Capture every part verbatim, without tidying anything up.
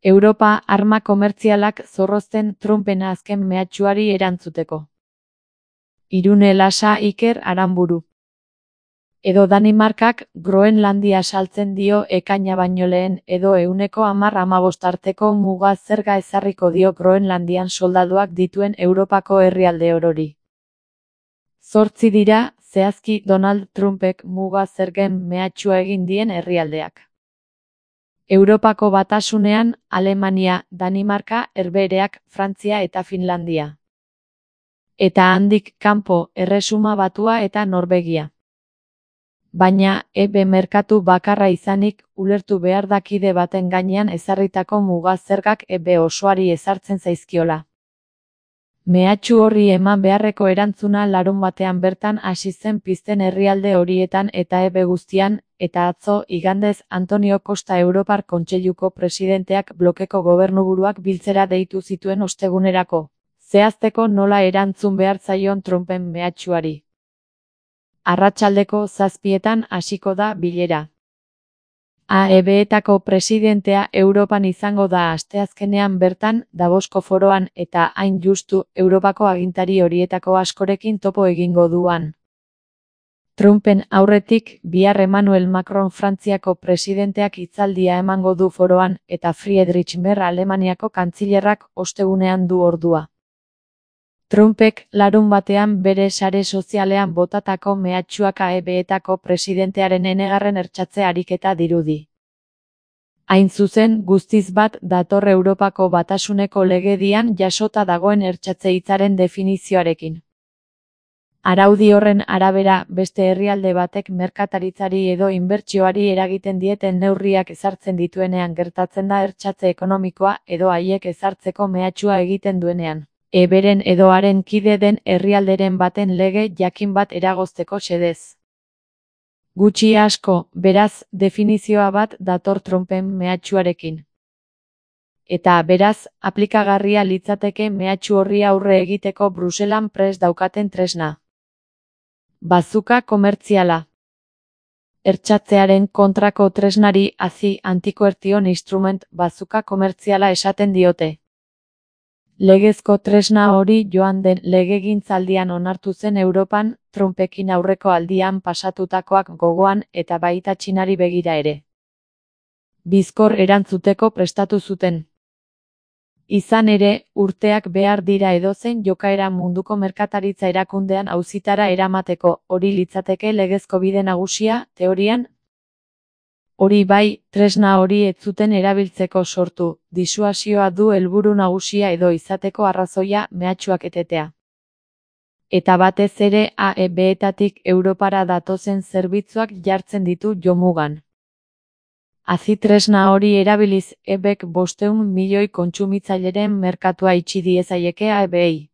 Europa arma komertzialak zorrozten Trumpen azken mehatxuari erantzuteko. Irune Lasa Iker Aranburu. Edo Danimarkak Groenlandia saltzen dio ekaina baino lehen edo ehuneko hamar hamabost arteko muga zerga ezarriko dio Groenlandian soldaduak dituen Europako herrialde orori. Zortzi dira, zehazki Donald Trumpek muga zergen mehatxua egin dien herrialdeak. Europako Batasunean, Alemania, Danimarka, Herbehereak, Frantzia eta Finlandia. Eta handik kanpo, Erresuma Batua eta Norvegia. Baina, E B merkatu bakarra izanik, ulertu behar da kide baten gainean ezarritako muga zergak E B osoari ezartzen zaizkiola. Mehatxu horri eman beharreko erantzuna larunbatean bertan hasi zen pizten herrialde horietan eta E B guztian, eta atzo, igandez, Antonio Costa Europar Kontseiluko presidenteak blokeko gobernuburuak biltzera deitu zituen ostegunerako, zehazteko nola erantzun behar zaion Trumpen mehatxuari. Arratsaldeko zazpietan hasiko da bilera. A E B-etako presidentea Europan izango da asteazkenean bertan, Davosko foroan eta hain justu Europako agintari horietako askorekin topo egingo duan. Trumpen aurretik, bihar Emmanuel Macron Frantziako presidenteak hitzaldia emango du foroan eta Friedrich Merz Alemaniako kantzilerrak ostegunean du ordua. Trumpek larun batean bere sare sozialean botatako mehatxuak A E B-etako presidentearen enegarren ertxatze ariketa dirudi. Hain zuzen, guztiz bat dator Europako Batasuneko legedian jasota dagoen ertxatze hitzaren definizioarekin. Araudi horren arabera, beste herrialde batek merkataritzari edo inbertsioari eragiten dieten neurriak ezartzen dituenean gertatzen da ertxatze ekonomikoa edo haiek ezartzeko mehatxua egiten duenean. E B-ren edo haren kide den herrialderen baten lege jakin bat eragozteko xedez. Gutxi asko, beraz, definizioa bat dator Trumpen mehatxuarekin. Eta, beraz, aplikagarria litzateke mehatxu horri aurre egiteko Bruselan prest daukaten tresna. Bazuka komertziala. Ertxatzearen kontrako tresnari hazi antikoertion instrument bazuka komertziala esaten diote. Legezko tresna hori joan den legegintzaldian onartu zen Europan, Trumpekin aurreko aldian pasatutakoak gogoan eta baita Txinari begira ere. Bizkor erantzuteko prestatu zuten. Izan ere, urteak behar dira edozein jokaera munduko merkataritza erakundean auzitara eramateko, hori litzateke legezko bide nagusia, teorian. Hori bai, tresna hori ez zuten erabiltzeko sortu, disuasioa du helburu nagusia edo izateko arrazoia mehatxuak etetea. Eta batez ere A E B-etatik Europara datozen zerbitzuak jartzen ditu jomugan. Hazi tresna hori erabiliz E B-ek bostehun milioi kontsumitzaileren merkatua itxi diezaieke A E B-ei.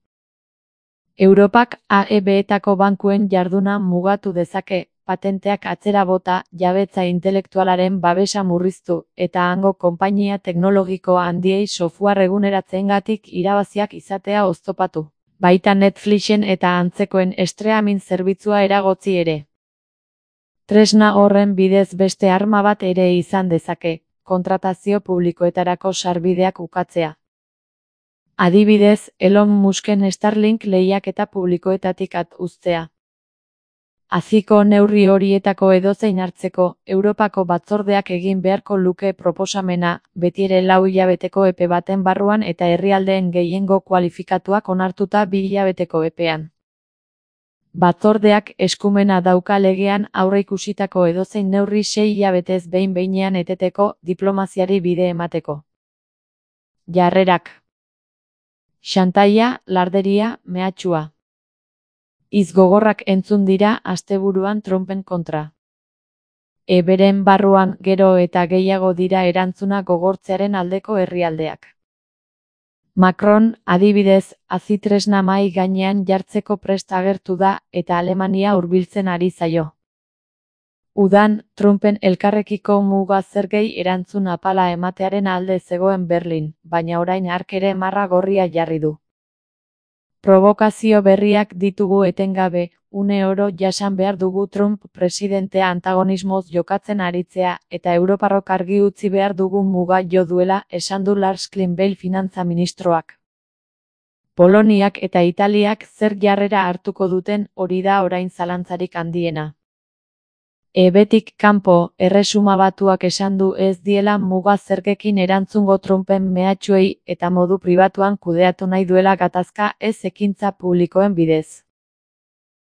Europak A E B-etako bankuen jarduna mugatu dezake, patenteak atzera bota, jabetza intelektualaren babesa murriztu, eta hango konpainia teknologiko handiei software eguneratzeengatik irabaziak izatea oztopatu. Baita Netflixen eta antzekoen streaming zerbitzua eragotzi ere. Tresna horren bidez beste arma bat ere izan dezake, kontratazio publikoetarako sarbideak ukatzea. Adibidez, Elon Musken Starlink lehiaketa publikoetatik at uztea. Haziko neurri horietako edozein hartzeko, Europako batzordeak egin beharko luke proposamena, betiere lau hilabeteko epe baten barruan eta herrialdeen gehiengo kualifikatuak onartuta bi hilabeteko epean. Batzordeak eskumena dauka legean aurreikusitako edozein neurri sei hilabetez behin behinean eteteko, diplomaziari bide emateko. Jarrerak. Xantaia, larderia, mehatxua. Hitz gogorrak entzun dira asteburuan Trumpen kontra. E B-ren barruan gero eta gehiago dira erantzuna gogortzearen aldeko herrialdeak. Macron, adibidez, hazi tresna mahai gainean jartzeko prest agertu da eta Alemania hurbiltzen ari zaio. Udan, Trumpen elkarrekiko muga zergei erantzun apala ematearen alde zegoen Berlin, baina orain hark ere marra gorria jarri du. Provokazio berriak ditugu etengabe, une oro jasan behar dugu Trump presidentea antagonismoz jokatzen aritzea, eta Europarrok argi utzi behar dugu muga jo duela, esan du Lars Klingbeil finantza ministroak. Poloniak eta Italiak zer jarrera hartuko duten, hori da orain zalantzarik handiena. Ebetik kanpo, Erresuma Batuak esan du ez diela muga zergekin erantzungo Trumpen mehatxuei eta modu pribatuan kudeatu nahi duela gatazka ez ekintza publikoen bidez.